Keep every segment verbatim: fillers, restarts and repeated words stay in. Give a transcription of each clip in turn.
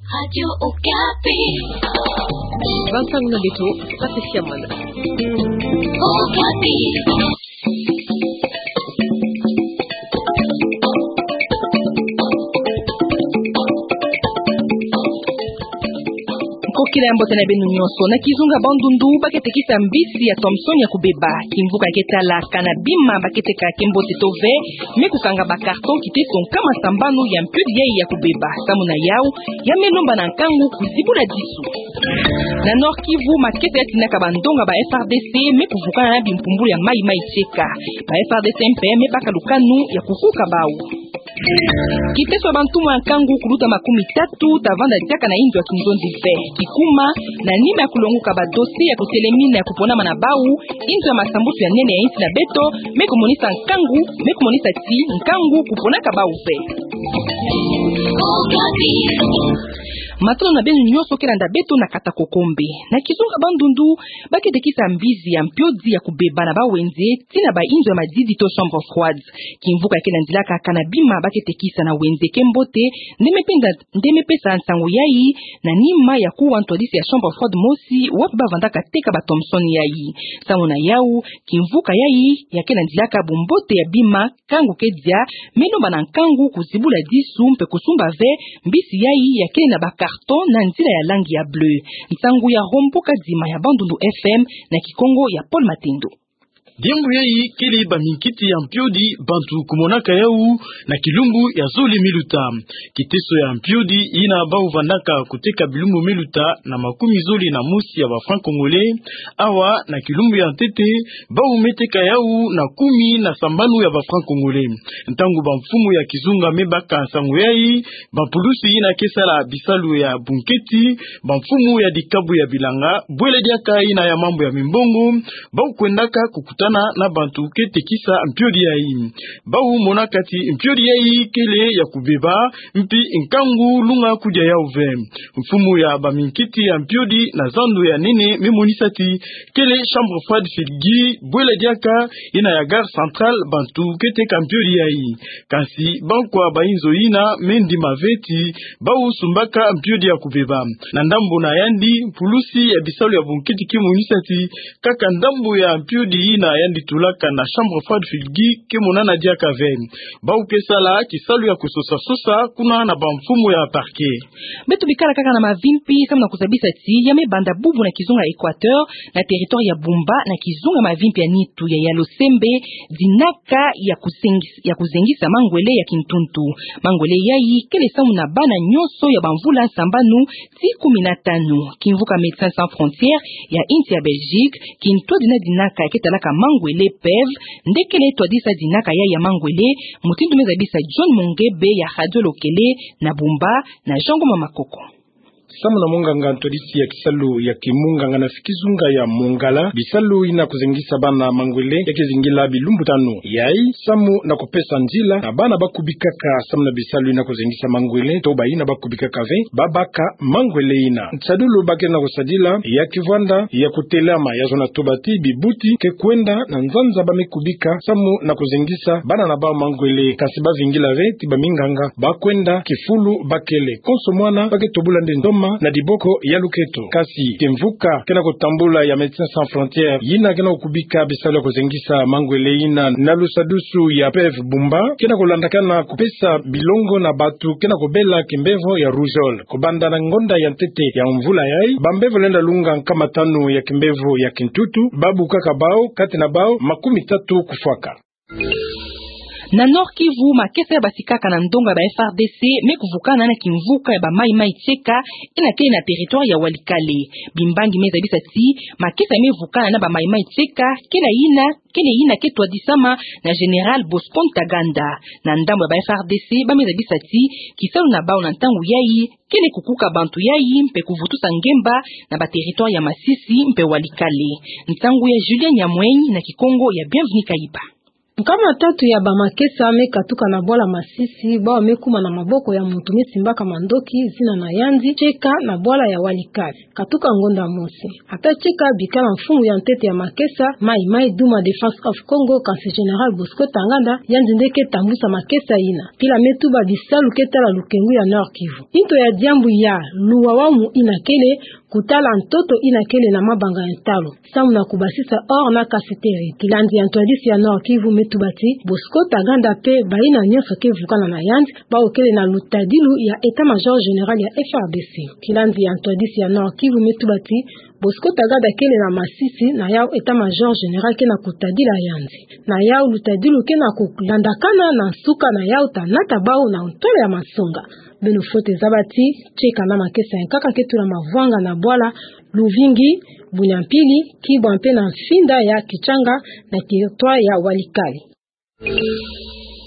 Radio Okapi. Bansango na beto, Patricia Mwana. Okapi. Nkokila ya mbote na beno nyonso. Na kizunga Bandundu, ba ke tekisa mbisi ya Thomson ya kubeba. Kimvuka ya ke tala kana bima ba ke teka ke mbote to ve, me kukanga ba carton kiteso nkama sambanu ya mpiodi yai ya kubeba. Samu na yau, ya me lomba na nkangu kuzibula disu. Na Nord-Kivu, makesa ya tinaka ba ndonga ba F R D C me kuvukana na bimpumbulu ya maimai tieka. Ba F R D C mpe me baka lukanu ya kukuka bau. Kiteso ya bantumwa ya nkangu kuluta makumi tatu ta vanda diaka na inzo ya kinzonzi ve. Kikuma, na nima ya kulonguka ba dossier ya kutelemina ya kuponama na bau, inzo ya masambusu ya nene ya insi na beto me kumonisa nkangu, me kumonisa ti nkangu kuponaka bau ve. Matondo na beno nyonso ke landa beto na kata kokombe. Na kizunga Bandundu, ba ke tekisa mbizi ya mpiodi ya kubeba na ba wenze, tii na ba inzo ya madidi to chambre froide. Kimvuka ya ke landilaka kana bima ba ke tekisa na wenze ke mbote, nde me penda, nde me pesa nsangu yai, na nima ya kuwa ntwadisi ya chambre froide mosi, wapi ba vandaka teka ba Thomson yai. Samu na yau, kimvuka yai ya ke landilaka bumbote ya bima, nkangu ke dia, me lomba na nkangu kuzibula disu mpe kusumba ve mbisi yai ya kele na ba carton na nzila ya langi ya bleu. Nsangu ya Rombo Kadima ya Bandundu F M na Kikongo ya Paul Matendo. Diambu yai kele ba minkiti ya mpiodi bantu kumonaka yau na kilumbu ya zole me luta. Kiteso ya mpiodi yina bau vandaka kuteka bilumbu me luta na makumi zole na mosi ya ba francs congolais, awa na kilumbu ya ntete bau me teka yau na kumi na sambanu ya ba francs congolais. Ntangu ba mfumu ya kizunga me baka nsangu yai, ba pulusi yina ke sala bisalu ya bunketi, ba mfumu ya dikabu ya bilanga, bwela diaka yina ya mambu ya mimbongo, bau kwendaka kukutana na bantu ke tekisa mpiodi yai. Bau monaka ti mpiodi yai kele ya kubeba, mpi nkangu lunga kudia yau ve. Mfumu ya ba minkiti ya mpiodi na zandu ya nene me monisa ti kele chambre froide Filgi, bwela diaka yina ya gare centrale bantu ke teka mpiodi yai. Kansi bankwa ba inzo yina me ndima ve ti bau sumbaka mpiodi ya kubeba. Na ndambu na yandi, pulusi ya bisalu ya bunketi ke monisa ti kaka ndambu ya mpiodi yina yandi tulaka na chambre froide Filgi ke monana diaka ve. Bau ke sala kisalu ya kusosa-sosa kuna na ba mfumu ya parquet. Beto bikala kaka na mavimpi, samu na kuzabisa ti ya me banda bubu na kizunga Equateur, na territoire ya Bumba, na kizunga mavimpi ya nitu ya Yalo Sembe, dinaka ya kuzengis-, ya kuzengisa mangwele ya kintuntu. Mangwele yai kele samu na bana nyonso ya ba mvula sambanu tii kumi na tanu. Kimvuka Médecins Sans Frontières ya insi ya Belgique, kintwadi na dinaka ya ke talaka mangwele, PEV, nde kele twadisa dinaka yai ya mangwele, mutindu me zabisa John Mongebe ya Radio Lokele na Bumba, na Jean Ngoma Makoko. Samu na monganga ntwadisi ya kisalu ya kimunganga na kizunga ya Mongala, bisalu yina kuzengisa bana mangwele ya ke zingila bilumbu tanu. Yai, samu na kupesa nzila na bana ba kubikaka samu na bisalu yina kuzengisa mangwele, to ba yina ba kubikaka ve, ba baka mangwele yina. Nsadulu ba ke na kusadila, ya kivwanda ya kutelama ya zona tuba ti bibuti ke kwenda na nzanza ba me kubika samu na kuzengisa bana na bau mangwele, kansi ba vingila ve ti ba minganga ba kwenda kifulu ba kele. Konso mwana ba ke tobula nde ntoma na diboko ya luketo. Kansi kimvuka ke na kutambula ya Médecins Sans Frontières, yina ke na kukubika bisalu ya kuzengisa mangwele yina na lusadusu ya PEV Bumba, ke na kulandakana kupesa bilongo na batu ke na kubela kimbevo ya rougeole. Kubanda na ngonda ya ntete ya mvula yai, ba mbevo lenda lunga nkama tanu ya kimbevo ya kintutu, ba bukaka bau, kati na bau makumi tatu kufwaka. Na Nord-Kivu, makesa ya basikaka na ndonga ba F R D C me kuvukana na kimvuka ya ba maimai tieka, yina kele na territoire ya Walikale. Bimbangi me zabisa ti makesa me vukana na ba maimai tieka kele yina, kele yina ke twadisama na Général Bosco Ntaganda. Na ndambu ya ba F R D C, ba me zabisa ti kisalu na bau na ntangu yai kele kukuka bantu yai mpe kuvutusa ngemba na ba territoire ya Masisi mpe Walikale. Nsangu ya Julien Nyamweny na Kikongo ya Bienvenu Kayiba. Nkama tatu ya bamakesa me katuka na bwala Masisi, bawu me kuma na maboko ya muntu me simbaka mandoki, zina na yandi Cheka, na bwala ya Walikale. Katuka ngonda mosi. Ata Cheka bikala mfumu ya ntete ya makesa, Mai Mai Duma Defense of Congo, kansi Général Bosco Tanganda, yandi nde ke tambusa makesa yina. Pila me tuba bisalu ke tala lukengu ya Nord-Kivu. Into ya diambu ya luwawanu yina kele, kutala ntoto yina kele na mabanga ya ntalu, samu na kubasisa or na cassiterie. Kilandi ya ntwadisi ya Nord-Kivu me tuba ti, Bosco Tanganda pe bayina nyonso ke vukana na yandi, bawu kele na lutadilu ya État-Major Général ya F R D C. Kilandi ya ntwadisi ya Nord-Kivu me tuba ti, Bosco Tanganda kele na Masisi, na yawu État-Major Général ke na kutadila yandi. Na yawu lutadilu ke na kulandakana na nsuka na yawu ta nata bawu na ntwala ya masonga. Beno fwete zaba ti, Cheka na makesa ya nkaka ke tula mavwanga na bwala Luvingi, Bunyampili, Kibwa mpe na mfinda ya Kitshanga, na territoire ya Walikale.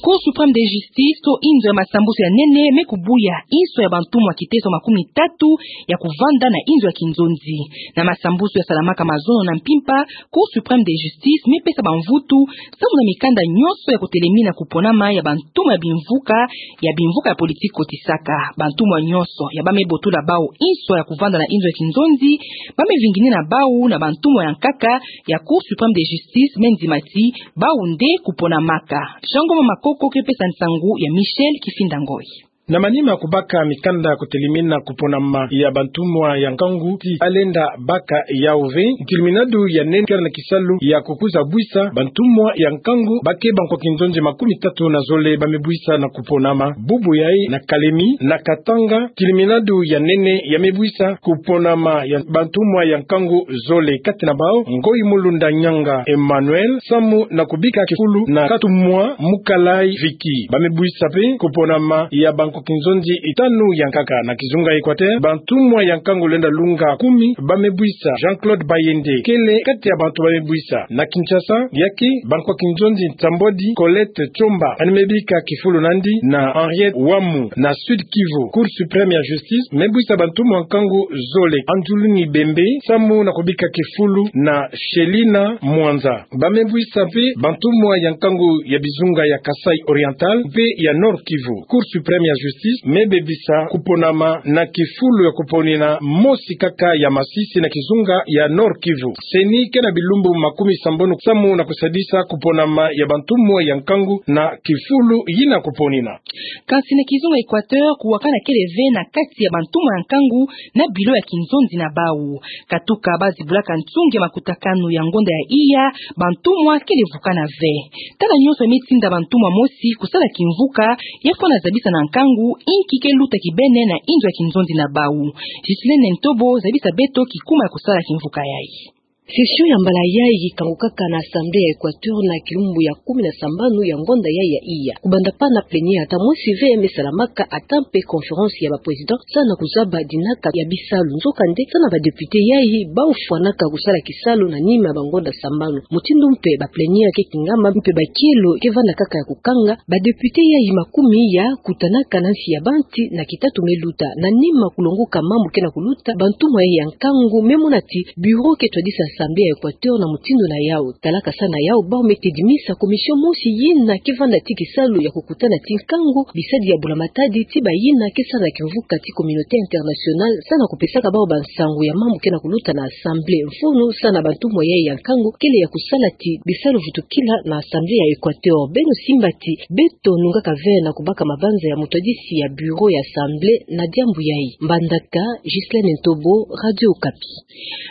Cour suprême de justice, to inzo ya masambusu ya nene, me kubuya inso ya bantumwa kiteso makumi tatu ya kuvanda na inzo ya kinzonzi. Na masambusu yasalamaka mazono na mpimpa, Cour suprême de justice me pesa bamvutu samu na mikanda nyonso ya kutelemina kuponama ya bantumwa ya bimvuka, ya bimvuka ya politiki kotisaka. Bantumwa nyonso ya ba me botula bawu inso ya kuvanda na inzo ya kinzonzi, ba me vingini na bawu na bantumwa ya nkaka ya Cour suprême de justice me ndima ti bawu nde kuponamaka. Jean Ngoma Makoko ke pesa nsangu ya Michel Kifinda Ngoi. Na manima kubaka mikanda kutelemina kuponama ya bantumwa ya nkangu ti ba lenda baka yawu ve, ntiluminadu ya nene kele na kisalu ya kukuza bwisa bantumwa ya nkangu ba ke bankwa kinzonzi makumi tatu na zole ba me bwisa na kuponama. Bubu yayi na Kalemi, na Katanga, ntiluminadu ya nene ya me bwisa kuponama ya bantumwa ya nkangu zole, kati na bawu Ngoi Mulunda Nyanga Emmanuel, samu na kubika kifulu na Katumwa Mukalayi Vicky. Ba me bwisa mpe kuponama ya bankwa kinzonzi tanu ya nkaka. Na kizunga Équateur, bantumwa ya nkangu lenda lunga kumi ba me bwisa. Jean-Claude Bayende kele kati ya bantu ba me bwisa. Na Kinshasa, ya ke bankwa kinzonzi nsambwadi Colette Tshomba, ani me bika kifulu nandi na Henriette Wamu. Na Sud-Kivu, Cour suprême ya justice me bwisa bantumwa nkangu zole, Anzuluni Bembe, samu na kubika kifulu na Shelina Mwanza. Ba me bwisa mpe bantumwa ya nkangu ya bizunga ya Kasaï Oriental mpe ya Nord-Kivu. Cour suprême ya justice me bebisa kuponama na kifulu ya kuponina mosi kaka ya Masisi na kizunga ya Nord-Kivu. CENI ke na bilumbu makumi sambanu samu na kusadisa kuponama ya bantumwa ya nkangu na kifulu yina kuponina. Kansi na kizunga Équateur, kuwakana kele ve na kati ya bantumwa ya nkangu na bilo ya kinzonzi na bawu. Katuka ba zibulaka nsungi ya makutakanu ya ngonda ya iya, bantumwa kele vukana ve. Tala nyonso me tinda bantumwa mosi kusala kimvuka, ya fwana zabisa na nkangu inki ke luta kibene na inzo ya kinzonzi na bawu. Ghislaine Ntobo zabisa beto kikuma ya kusala kimvuka yayi. Session ya mbala yayi kangukaka na Assemblée ya Équateur na kilumbu ya kumi na sambanu ya ngonda yayi ya iya. Kubanda pa na plénière ata mosi ve me salamaka, ata mpe conférence ya ba présidents, samu na kuzaba dinaka ya bisalu. Nzokande, samu na ba députés yayi, bawu fwanaka kusala kisalu na nima ya bangonda sambanu. Mutindu mpe ba plénière ke kingama mpe ba kielo ke vanda kaka ya kukanga, ba députés yayi makumi ya kutanaka na nsi ya banti na kitatu me luta. Na nima kulongoka mambu ke na kuluta, bantumwa yayi ya nkangu me mona ti bureau ke twadisa Assemblée ya Équateur na mutindu na yawu. Talaka samu na yawu, bawu me tedimisa commission mosi yina ke vanda ti kisalu ya kukutana ti nkangu bisadi ya bula matadi ti bayina ke sala kimvuka ti communauté internationale, samu na kupesaka bawu bansangu ya mambu ke na kuluta na Assemblée. Mfunu samu na bantumwa yayi ya nkangu kele ya kusala ti bisalu vutukila na Assemblée ya Équateur. Beno simba ti beto nungaka ve na kubaka mabanza ya mutwadisi ya bureau ya Assemblée na diambu yayi. Mbandaka, Ghislaine Ntobo, Radio Okapi.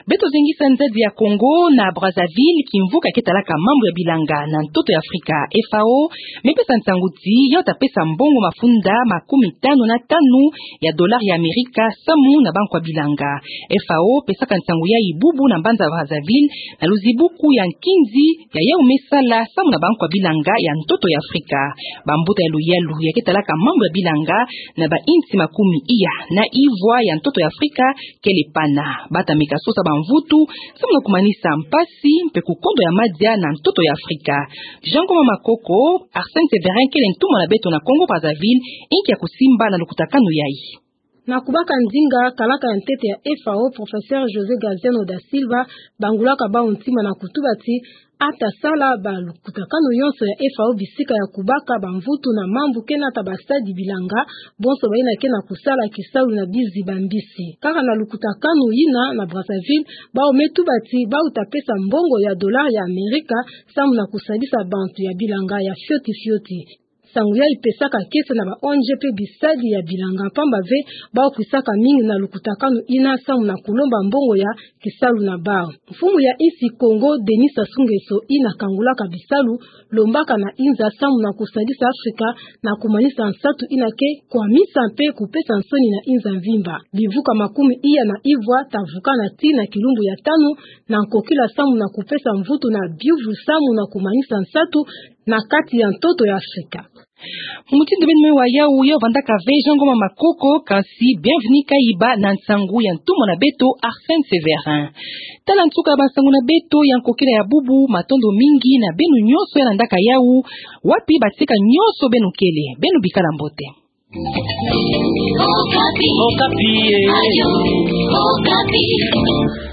Beto zingisa nzadi ya Congo na Brazzaville, kimvuka ke talaka mambu ya bilanga na ntoto ya Afrika, F A O, me pesa nsangu ti ya ta pesa mbongo mafunda makumi tanu na tanu ya dollar ya Amerika samu na bankwa bilanga. F A O pesaka nsangu yayi bubu na mbanza Brazzaville, na luzibuku ya nkinzi ya yawu me sala samu na bankwa bilanga ya ntoto ya Afrika. Bambuta ya luyalu ya ke talaka mambu ya bilanga na ba insi makumi iya na ivwa ya ntoto ya Afrika kele pana. Ba ta meka sosa bamvutu samu na kumanisa mpasi mpe kukondo ya madia na ntoto ya Afrika. Jean Ngoma Makoko, Arsène Séverin kele ntumwa na beto na Congo Brazzaville, inki ya kusimba na lukutakanu yayi. Na kubaka ndinga, kalaka ya ntete ya F A O, Professeur José Graziano da Silva, bangulaka bawu ntima na kutuba ti, ata sala balukutakanu yonso ya F A O bisika ya kubaka bamvutu na mambu ke nata basadi bilanga, bonso bayina ke na kusala kisalu na bizi bambisi. Kaka na lukutakanu yina na Brazzaville, bawu me tuba ti, bawu ta pesa mbongo ya dollar ya Amerika, samu na kusadisa bantu ya bilanga ya fioti fioti. Nsangu yayi ipesaka kiese na ba O N G pe bisadi ya bilanga, pamba ve bawu kwisaka mingi na lukutakanu yina samu na kulomba mbongo ya kisalu na bawu. Mfumu ya insi Congo, Denis Sassou Nguesso, yina kangulaka bisalu, lombaka na inza samu na kusadisa Afrika na kumanisa nsatu yina ke kwamisa mpe kupesa nsoni na inza mvimba. Bivuka makumi iya na ivwa ta vukana tii na kilumbu ya tanu, na nkokila samu na kupesa mvutu na biuvu samu na kumanisa nsatu na kati ya ntoto ya Afrika. Mutindu beno me wa yawu, yo vandaka ve Jean Ngoma Makoko, kasi Bienvenu Kayiba na nsangu ya ntumwa na beto Arsène Séverin. Tala nsuka ya bansangu na beto ya nkokila ya bubu, matondo mingi na beno nyonso ya landaka yawu, wapi batika nyonso beno kele, beno bikala mbote. Okapi. Okapi, eh. Radio Okapi.